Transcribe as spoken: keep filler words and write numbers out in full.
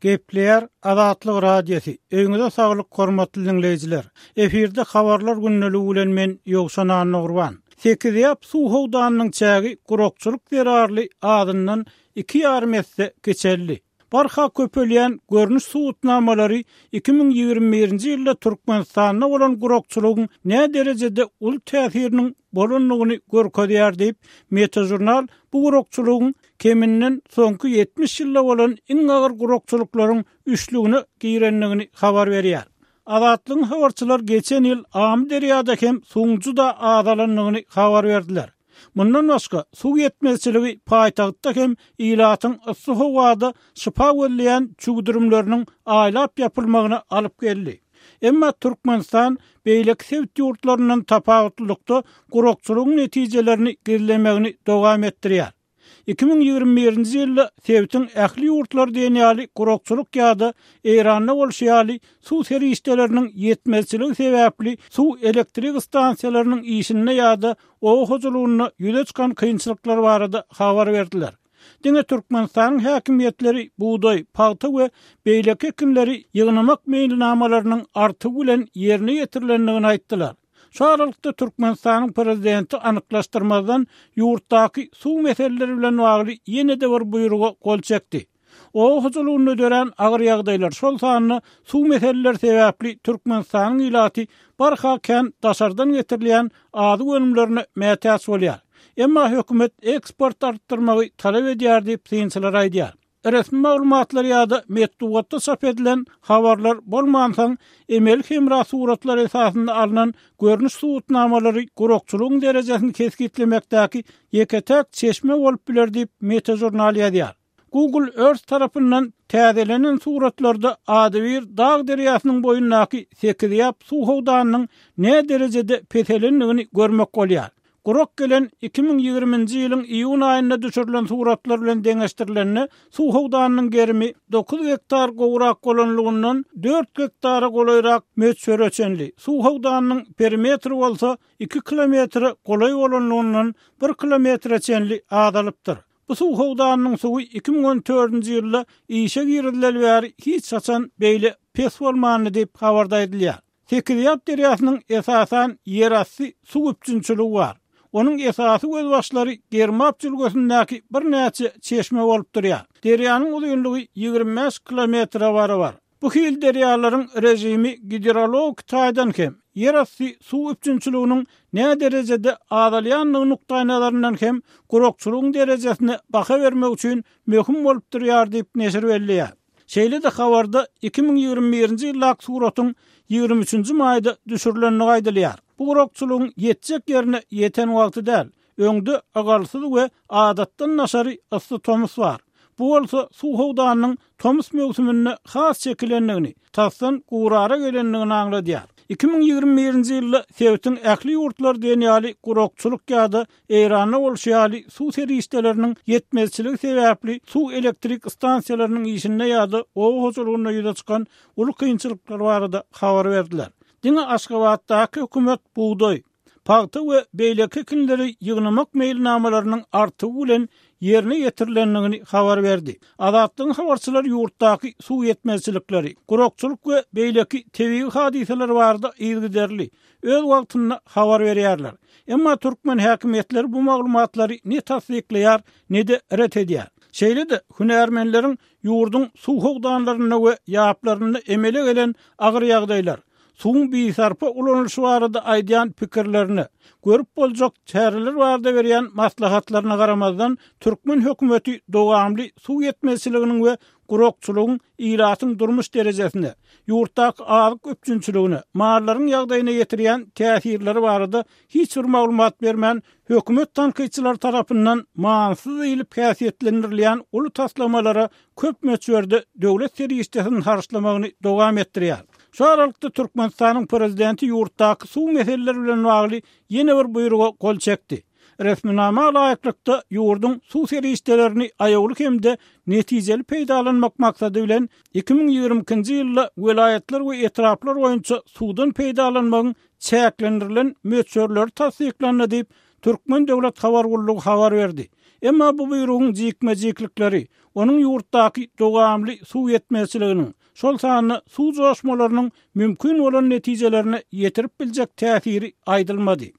Gepleýär Azatlyk Radiosy. Öýüňize saglyk hormatly diňleýjiler. Efirde habarlar gündeligi bilen men Ýowşan Annagurban. Sekizýap suw howdanynyň çägi gurakçylyk zerarly adyndan iki ýarym esse geçeldi. Barha köpelýän görnüş suwutnamalary iki müň ýigrimi birinji ýylda Türkmenistanda bolan gurakçylygyň nä derejede uly täsiriniň bolandygyny görkezýär diýip, Metejurnal bu gurakçylygyň keminden soňky ýetmiş ýylda bolan iň agyr gurakçylyklaryň üçlügine girendigini habar berýär. Azatlygyň habarçylar geçen ýyl Amyderýada hem suwuň juda azalandygyny habar berdiler. Mundan başga suw ýetmezçiligi paýtagtda hem ilatyň yssy howada şypa gözleýän çüwdürimleriniň aýlap ýapylmagyna alyp geldi. Emma Türkmenistan beýleki sebit ýurtlaryndan tapawutlylykda gurakçylygyň netijelerini gizlemegini dowam etdirýär. Iki müň ýigrimi birinji ýylda sebitiň ähli ýurtlary diýen ýaly gurakçylyk ýa-da Eýranda bolşy ýaly suw serişdeleriniň ýetmezçiligi sebäpli suw elektrik stansiýalarynyň işinde ýa-da oba hojalygynda ýüze çykan kynçylyklar barada habar berdiler. Diňe Türkmenistanyň häkimiýetleri bugdaý, pagta we beýleki ekinleri ýygnamak meýilnamalarynyň artygy bilen ýerine ýetirilendigini aýtdylar. Şu aralykda Türkmenistanyň prezidenti anyklaşdyrmazdan ýurtdaky suw meseleleri bilen bagly ýene-de bir buýruga gol çekdi. Oba hojalygynda dörän agyr ýagdaýlar, şol sanda suw meseleleri sebäpli Türkmenistanyň ilaty barha kän daşardan getirilýän azyk önümlerine mätäç bolýar. Emma hökümet eksport artdyrmagy talap edýär diýip synçylar aýdýar. Resmi maglumatlar ýa-da metbugatda çap edilen habarlar bolmansoň, emeli hemra suratlar esasynda alnan görnüş suwutnamalary gurakçylygyň derejesini kesgitlemekdäki ýeke-täk çeşme bolup biler diýip Metejurnal ýazýar. Google Earth tarapyndan täzelenen suratlarda adybir dag derýasynyň boýundaky Sekizýap suw howdanynyň nä derejede peselendigini görmek bolýar. Gurak gelen iki müň ýigriminji ýylyň iýun aýynda düşürilen suratlar bilen deňeşdirilende suw howdanynyň gerimi dokuz gektar gowrak bolanlygyndan dört gektara golaýrak möçbere çenli, suw howdanynyň perimetri bolsa iki kilometre golaý bolanlygyndan bir kilometre çenli azalypdyr. Bu suw howdanynyň suwy iki müň on dördünji ýylda işe girizileli bäri hiç haçan beýle pes bolmandy diýip habarda aýdylýar. Sekizýap derýasynyň esasan ýerasty suw üpjünçiligi bar. Onuň esasy gözbaşlary Germap jülgesindäki birnäçe çeşme bolup durýar. Derýanyň uzynlygy ýigrimi bäş kilometre barabar. Bu hil derýalaryň rejimi gidrologik taýdan hem ýerasty suw üpjünçiliginiň nä derejede azalýandygy nukdaýnazaryndan hem gurakçylygyň derejesine baha bermek üçin möhüm bolup durýar diýip neşir belleýär. Şeýle-de habarda iki müň ýigrimi birinji ýyldaky suratyň ýigrimi üçünji maýda düşürilendigi aýdylýar. Bu gurakçylygyň ýetjek ýerine ýeten wagty däl. Öňde ygalsyz we adatdan daşary yssy tomus bar. Bu bolsa suw howdanynyň tomus möwsüminde has çekilendigini, tasdan gurara gelendigini aňladýar. Iki müň ýigrimi birinji ýylda sebitiň ähli ýurtlary diýen ýaly gurakçylyk ýa-da Eýranda bolşy ýaly suw serişdeleriniň ýetmezçiligi sebäpli suw elektrik stansiýalarynyň işinde ýa-da oba hojalygynda ýüze çykan uly kynçylyklar barada habar berdiler. Diňe Aşgabatdaky hökümet bugdaý, pagta we beýleki ekinleri ýygnamak meýilnamalarynyň artygy bilen ýerine ýetirilendigini habar berdi. Azatlygyň habarçylary ýurtdaky suw ýetmezçilikleri, gurakçylyk we beýleki tebigy hadysalar barada yzygiderli öz wagtynda habar berýärler. Emma türkmen häkimiýetleri bu maglumatlary ne tassyklaýar, ne-de ret edýär. Şeýle-de hünärmenleriň ýurduň suw howdanlarynda we ýaplarynda emele gelen agyr ýagdaýlar, suwuň bisarpa ulanylyşy barada aýdýan pikirlerine, görüp boljak çäreler barada berýän maslahatlaryna garamazdan, türkmen hökümeti dowamly suw ýetmezçiliginiň we gurakçylygyň ilatyň durmuş derejesine, ýurtdaky azyk üpjünçiligine, mallaryň ýagdaýyna ýetirýän täsirleri barada hiç bir maglumat bermän, hökümet tankytçylary tarapyndan manysyz diýlip häsiýetlendirilýän uly taslamalara köp möçberde döwlet serişdesini harçlamagyny dowam etdirýär. Şu aralykda Türkmenistanyň prezidenti ýurtdaky suw meseleleri bilen bagly ýene bir buýruga gol çekdi. Resminama laýyklykda ýurduň suw serişdelerini aýawly hem-de netijeli peýdalanmak maksady bilen iki müň ýigrimi ikinji ýylda welaýatlar we etraplar boýunça suwdan peýdalanmagyň çäklendirilen möçberleri tassyklandy diýip, Türkmen döwlet habar gullugy habar berdi. Emma bu buýrugyň jikme-jiklikleri, onuň ýurtdaky dowamly suw ýetmezçiliginiň, şol sanda suw joşmalarynyň mümkin bolan netijelerine ýetirip biljek täsiri aýdylmady.